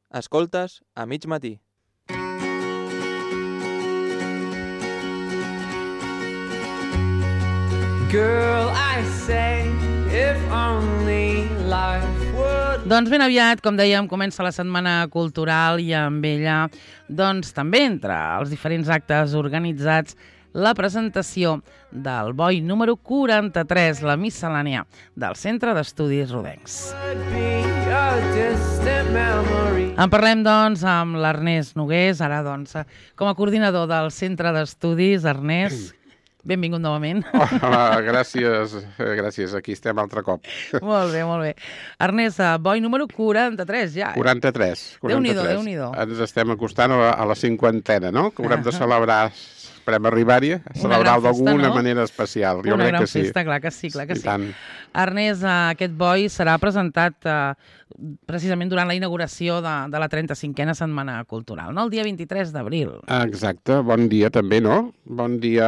Escoltes a mig matí. Girl, I say, if only life would... Doncs ben aviat, com dèiem, comença la Setmana Cultural i amb ella, doncs també entre els diferents actes organitzats, la presentació del boi número 43, la miscel·lània del Centre d'Estudis Rodencs. En parlem, doncs, amb l'Ernest Nogués, ara, doncs, com a coordinador del Centre d'Estudis. Ernest, benvingut novament. Hola, gràcies. Aquí estem altre cop. Molt bé, molt bé. Ernest, boi número 43, ja. 43. Déu-n'hi-do. Ens estem acostant a la cinquantena, no? Que haurem de celebrar, esperem arribar-hi, celebrar-ho d'alguna manera especial. Una gran festa, clar que sí, clar que sí. Tant. Ernest, aquest boi serà presentat precisament durant la inauguració de la 35a Setmana Cultural, no? El dia 23 d'abril. Exacte, bon dia també, no? Bon dia,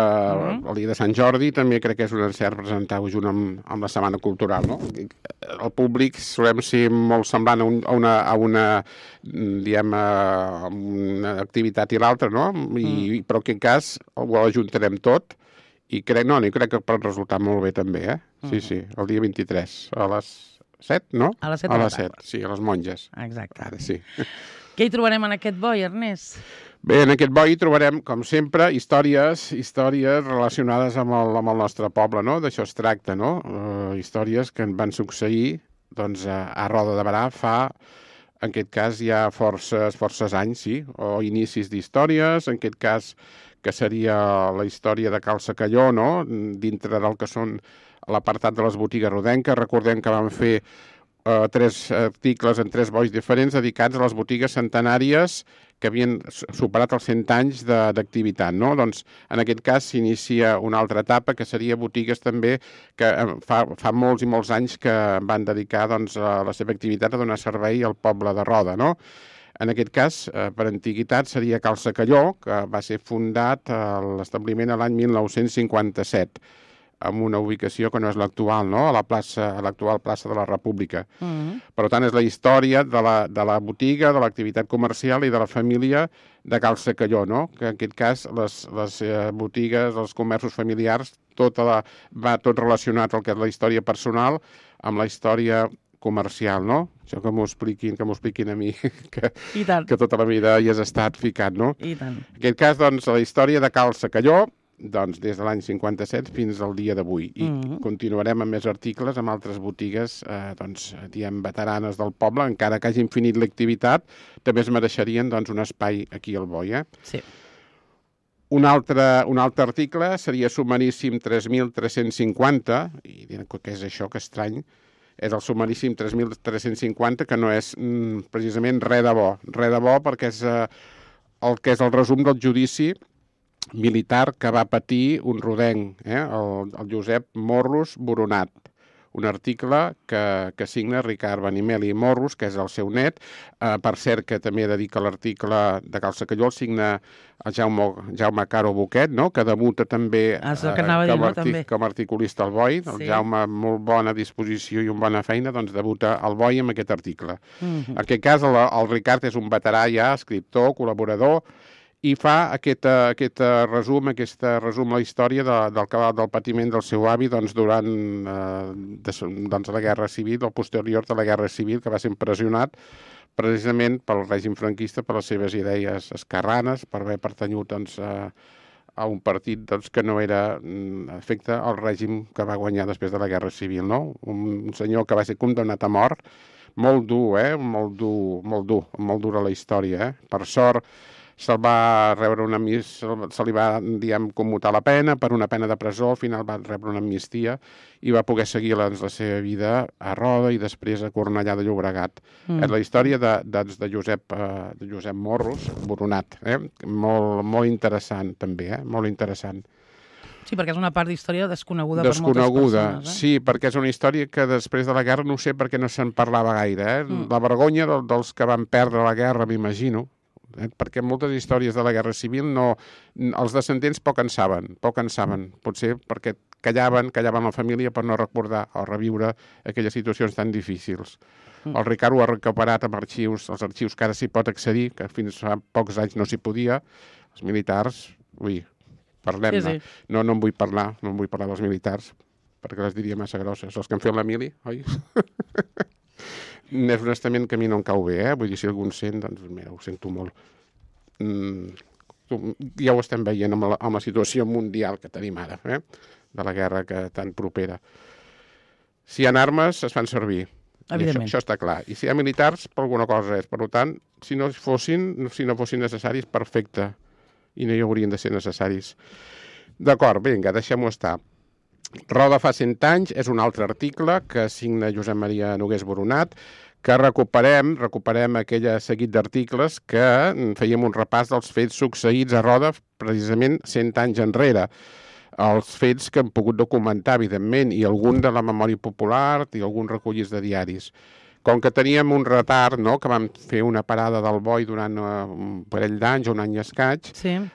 el dia de Sant Jordi, també crec que és un encert presentar-ho junt amb la Setmana Cultural, no? El públic solem ser molt semblant a una activitat i l'altra, no? Però en aquest cas ho ajuntarem tot i crec que pot resultar molt bé també, eh? Sí, el dia 23, a les 7, no? A les 7 a les 7, sí, a les monges. Exacte. Ara sí. Què hi trobarem en aquest boi, Ernest? Bé, en aquest boi trobarem, com sempre, històries relacionades amb el nostre poble, no? D'això es tracta, no? Històries que en van succeir doncs, a Roda de Berà fa, en aquest cas, ja forces anys, sí, o inicis d'històries, en aquest cas que seria la història de Cal Secalló, no? Dintre del que són l'apartat de les botigues rodenques. Recordem que vam fer 3 articles en 3 bois diferents dedicats a les botigues centenàries que havien superat els 100 anys d'activitat, no? Doncs en aquest cas s'inicia una altra etapa que seria botigues també que fa molts i molts anys que van dedicar doncs, la seva activitat a donar servei al poble de Roda, no? En aquest cas, per antiguitat, seria Cal Secalló, que va ser fundat a l'establiment l'any 1957, amb una ubicació que no és l'actual, no? A l'actual plaça de la República. Per tant, és la història de la botiga, de l'activitat comercial i de la família de Cal Secalló, no? Que en aquest cas les botigues, els comerços familiars, va tot relacionat al que és la història personal amb la història comercial, no? Això que m'ho expliquin a mi, que tota la vida hi has estat ficat, no? I tant. En aquest cas, doncs, la història de Cal Secalló, doncs, des de l'any 57 fins al dia d'avui. I continuarem amb més articles amb altres botigues, diem, veteranes del poble, encara que hagin finit l'activitat, també es mereixerien, doncs, un espai aquí al boi, eh? Sí. Un altre article seria Submaríssim 3350, i diran, què és això, que estrany, és el Submaríssim 3350, que no és precisament res de bo, perquè és el que és el resum del judici militar que va patir un rodenc, el Josep Morros Boronat. Un article que signa Ricard Benimeli i Morros, que és el seu net. Per cert, que també dedica l'article de Cal Secalló, el signa el Jaume Caro Boquet, no? Que debuta també com a articulista al boi. El Jaume, amb molt bona disposició i una bona feina, doncs debuta al boi amb aquest article. En aquest cas, el Ricard és un veterà ja, escriptor, col·laborador, i fa aquest resum la història del patiment del seu avi durant la Guerra Civil, el posterior de la Guerra Civil, que va ser empresonat precisament pel règim franquista, per les seves idees esquerranes, per haver pertanyut a un partit que no era afecte al règim que va guanyar després de la Guerra Civil, no? Un senyor que va ser condemnat a mort, molt dur, molt dura la història, Per sort, se li va, commutar la pena per una pena de presó, al final va rebre una amnistia i va poder seguir la seva vida a Roda i després a Cornellà de Llobregat. És la història de Josep Morros Boronat, molt interessant també, molt interessant. Sí, perquè és una part d'història desconeguda per moltes persones. Sí, perquè és una història que després de la guerra no sé per què no se'n parlava gaire. La vergonya dels que van perdre la guerra, m'imagino, perquè moltes històries de la Guerra Civil els descendents poc en saben, potser perquè callaven la família per no recordar o reviure aquelles situacions tan difícils. El Ricard ho ha recuperat amb els arxius que ara s'hi pot accedir, que fins fa pocs anys no s'hi podia. Els militars, parlem-ne. Sí. No en vull parlar dels militars, perquè les diria massa grosses. Els que han fet la mili, oi? És un estament que a mi no em cau bé, Vull dir, si algú en sent, doncs mira, ho sento molt. Ja ho estem veient amb la situació mundial que tenim ara, de la guerra tan propera. Si hi ha armes, es fan servir. Evidentment. Això està clar. I si hi ha militars, per alguna cosa és. Per tant, si no fossin necessaris, perfecte. I no hi haurien de ser necessaris. D'acord, vinga, deixem-ho estar. Roda fa 100 anys és un altre article que signa Josep Maria Nogués Boronat, que recuperem aquell seguit d'articles que fèiem un repàs dels fets succeïts a Roda precisament 100 anys enrere. Els fets que hem pogut documentar, evidentment, i algun de la memòria popular i alguns recollits de diaris. Com que teníem un retard, que vam fer una parada del boi durant un parell d'anys, un any i escaig,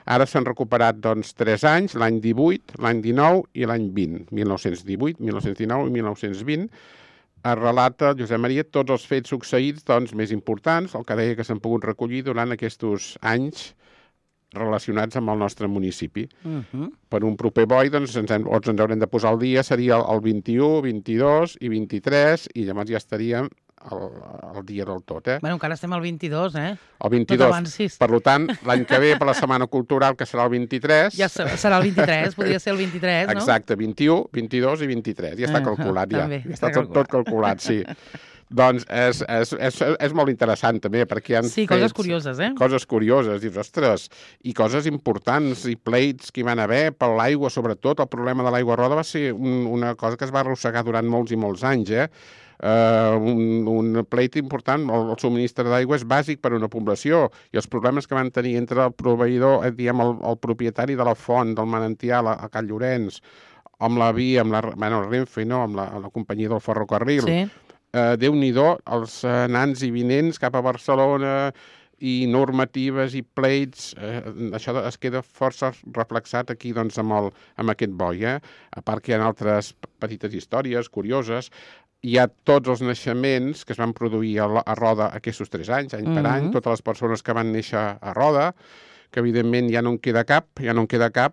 ara s'han recuperat 3 anys, l'any 18, l'any 19 i l'any 20, 1918, 1919 i 1920. Es relata, Josep Maria, tots els fets succeïts més importants, el que deia que s'han pogut recollir durant aquests anys relacionats amb el nostre municipi. Per un proper boi, ens haurem de posar al dia, seria el 21, 22 i 23, i llavors ja estaríem al dia del tot. Bueno, encara estem al 22, El 22. Per tant, l'any que ve, per la Setmana Cultural, que serà el 23... Ja serà el 23, podria ser el 23, no? Exacte, 21, 22 i 23. Ja està calculat, ja. També, ja està tot calculat, sí. Doncs és molt interessant, també, perquè hi ha coses curioses, Coses curioses, dius, ostres, i coses importants, i pleits que hi van haver per l'aigua, sobretot. El problema de l'aigua Roda va ser una cosa que es va arrossegar durant molts i molts anys, un pleit important. El subministre d'aigua és bàsic per a una població, i els problemes que van tenir entre el proveïdor, el propietari de la font, del manantial a Can Llorenç, amb la via, amb la Renfe, amb la companyia del ferrocarril, Déu-n'hi-do, els anants i vinents cap a Barcelona i normatives i pleits, això es queda força reflexat aquí amb aquest boi. A part que hi ha altres petites històries curioses, hi ha tots els naixements que es van produir a Roda aquests 3 anys, any per any, totes les persones que van néixer a Roda, que evidentment ja no en queda cap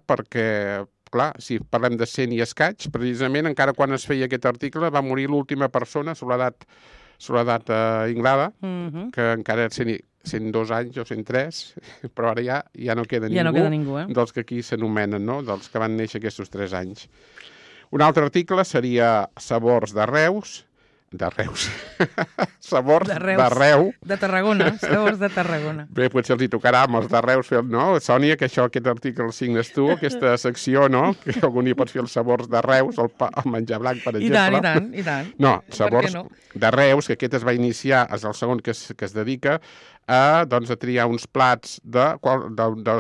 perquè... Clar, si parlem de 100 i escaig, precisament, encara quan es feia aquest article, va morir l'última persona, Soledat Inglada, que encara era 102 anys o 103, però ara ja no queda ningú, dels que aquí s'anomenen, dels que van néixer aquests 3 anys. Un altre article seria Sabors de Reus, Sabors de Reu. De Tarragona, sabors de Tarragona. Bé, potser els hi tocarà amb els de Reus fer, no? Sònia, que aquest article el signes tu, aquesta secció, no? Que algú hi pots fer els sabors de Reus, el menjar blanc, per exemple. I tant. No, sabors de Reus, que aquest es va iniciar, és el segon que es dedica a triar uns plats de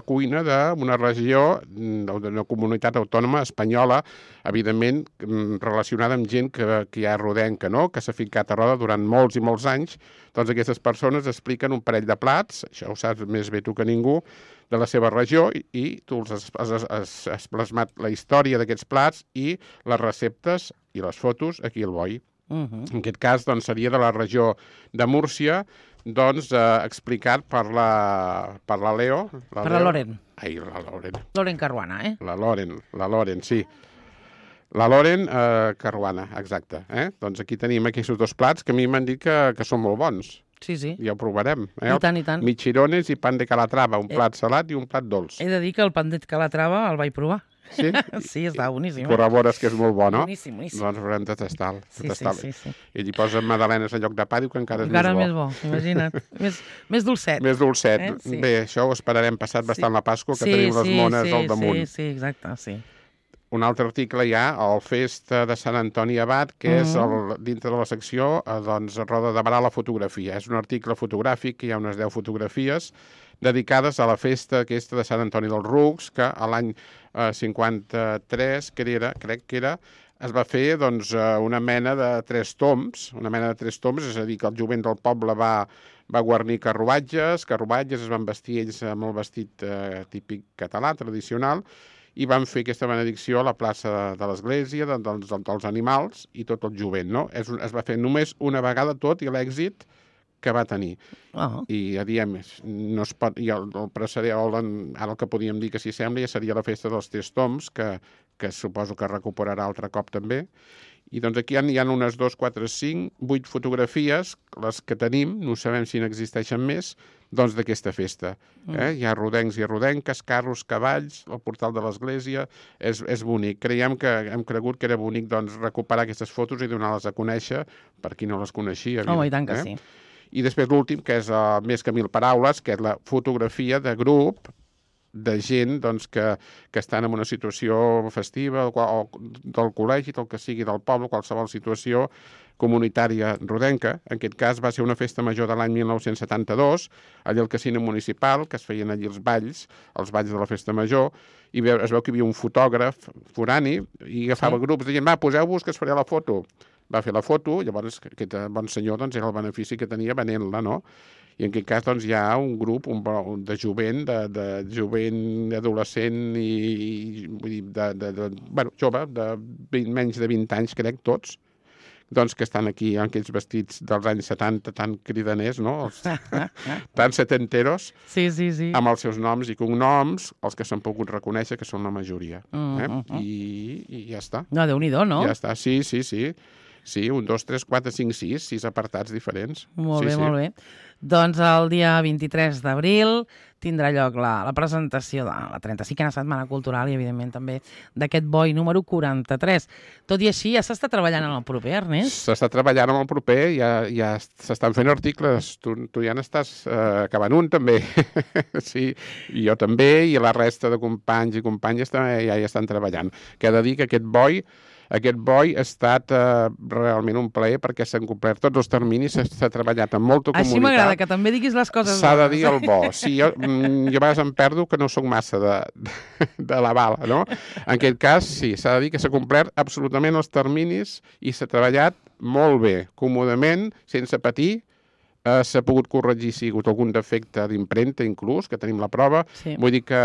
cuina d'una regió, d'una comunitat autònoma espanyola, evidentment relacionada amb gent que hi ha rodenca, no? Que s'ha ficat a Roda durant molts i molts anys. Doncs aquestes persones expliquen un parell de plats, això ho saps més bé tu que ningú, de la seva regió, i tu has plasmat la història d'aquests plats i les receptes i les fotos aquí al boi. En aquest cas seria de la regió de Múrcia, explicat per la Leo. Per la Loren. Ai, la Loren. Loren Caruana, La Loren, sí. La Loren Caruana, exacte. Doncs aquí tenim aquests 2 plats que a mi m'han dit que són molt bons. Sí. Ja ho provarem. I tant. Michirones i pan de Calatrava, un plat salat i un plat dolç. He de dir que el pan de Calatrava el vaig provar. Sí? Sí, està boníssim. Corrobores que és molt bo, no? Boníssim. Doncs haurem de tastar-lo. Sí. I li posa magdalenes en lloc de pa, diu que encara és més bo. Imagina't. Més dolcet. Més dolcet. Sí. Bé, això ho esperarem passat bastant la Pasqua, que tenim les mones al damunt. Sí, exacte, sí. Un altre article hi ha, el Festa de Sant Antoni Abat, que és dintre de la secció, Roda de Barà la fotografia. És un article fotogràfic, que hi ha unes 10 fotografies dedicades a la festa aquesta de Sant Antoni dels Rucs, que a l'any 53, crec que era, es va fer una mena de 3 tombs, és a dir, que el jovent del poble va guarnir carruatges es van vestir ells amb el vestit típic català, tradicional, i van fer aquesta benedicció a la plaça de l'església, dels animals i tot el jovent, no? Es va fer només una vegada tot i l'èxit que va tenir. I a diem, no es pot, i el precedent, ara el que podíem dir que s'hi sembla ja seria la festa dels Tres Tombs, que suposo que recuperarà altre cop també. I doncs aquí hi ha unes 2, 4, 5, 8 fotografies, les que tenim, no sabem si n'existeixen més, doncs d'aquesta festa. Hi ha rodencs i rodenques, carros, cavalls, el portal de l'església, és bonic. Hem cregut que era bonic doncs, recuperar aquestes fotos i donar-les a conèixer per qui no les coneixia. Home, i tant que sí. I després l'últim, que és més que 1000 paraules, que és la fotografia de grup de gent doncs, que estan en una situació festiva o del col·legi, del que sigui del poble, qualsevol situació comunitària rodenca. En aquest cas va ser una festa major de l'any 1972, allà al casino municipal, que es feien allí els balls de la festa major, i es veu que hi havia un fotògraf forani i agafava grups, deien, va, poseu-vos que es faré la foto. Va fer la foto, llavors aquest bon senyor doncs, era el benefici que tenia venent-la, no? I en aquest cas doncs, hi ha un grup de jovent, de jovent adolescent i jove, de menys de 20 anys, crec, tots, doncs que estan aquí en aquells vestits dels anys 70 tan cridaners, no? Tan setenteros, sí. Amb els seus noms i cognoms, els que s'han pogut reconèixer, que són la majoria. I ja està. No, Déu-n'hi-do, no? Ja està, sí. Sí, 1, 2, 3, 4, 5, 6 apartats diferents. Molt bé. Doncs el dia 23 d'abril tindrà lloc la presentació de la 35a Setmana Cultural i, evidentment, també d'aquest boi número 43. Tot i així, ja s'està treballant en el proper, Ernest? S'està treballant en el proper, ja s'estan fent articles. Tu ja n'estàs acabant un, també. Sí, i jo també, i la resta de companys i companyes ja hi estan treballant. Que he de dir que aquest boi ha estat realment un plaer perquè s'han complert tots els terminis, s'ha treballat amb molta comunitat. Així m'agrada, que també diguis les coses. S'ha de dir el bo. Sí, jo a vegades em perdo que no sóc massa de la bala, no? En aquest cas, sí, s'ha de dir que s'ha complert absolutament els terminis i s'ha treballat molt bé, còmodament, sense patir. S'ha pogut corregir si hi ha hagut algun defecte d'impremta, inclús, que tenim la prova. Sí. Vull dir que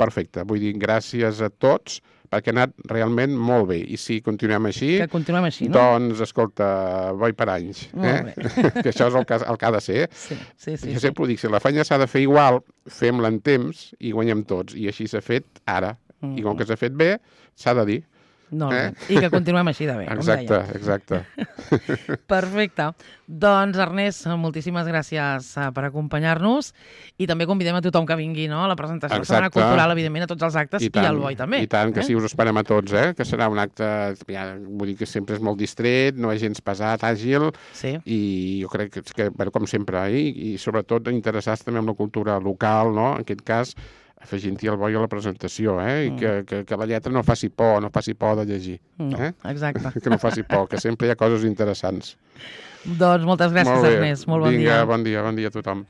perfecte. Vull dir, gràcies a tots, perquè ha anat realment molt bé. I si continuem així... Que continuem així, no? Doncs, escolta, boi per anys. Molt bé. Que això és el que ha de ser. Sí. Jo sempre ho dic, si la feina s'ha de fer igual, fem-la en temps i guanyem tots. I així s'ha fet ara. I com que s'ha fet bé, s'ha de dir. No, i que continuem així de bé, exacte. Perfecte. Doncs, Ernest, moltíssimes gràcies per acompanyar-nos i també convidem a tothom que vingui, no?, a la presentació de la Setmana Cultural, evidentment, a tots els actes i al boi també. I tant, que sí, us esperem a tots, que serà un acte, vull dir que sempre és molt distret, no és gens pesat, àgil, i jo crec que, com sempre, i sobretot interessats també en la cultura local, no?, en aquest cas, afegint-hi el boi a la presentació, i que la lletra no faci por de llegir. No, exacte. Que no faci por, que sempre hi ha coses interessants. Doncs moltes gràcies, Ernest. Molt bon dia. Vinga, bon dia a tothom.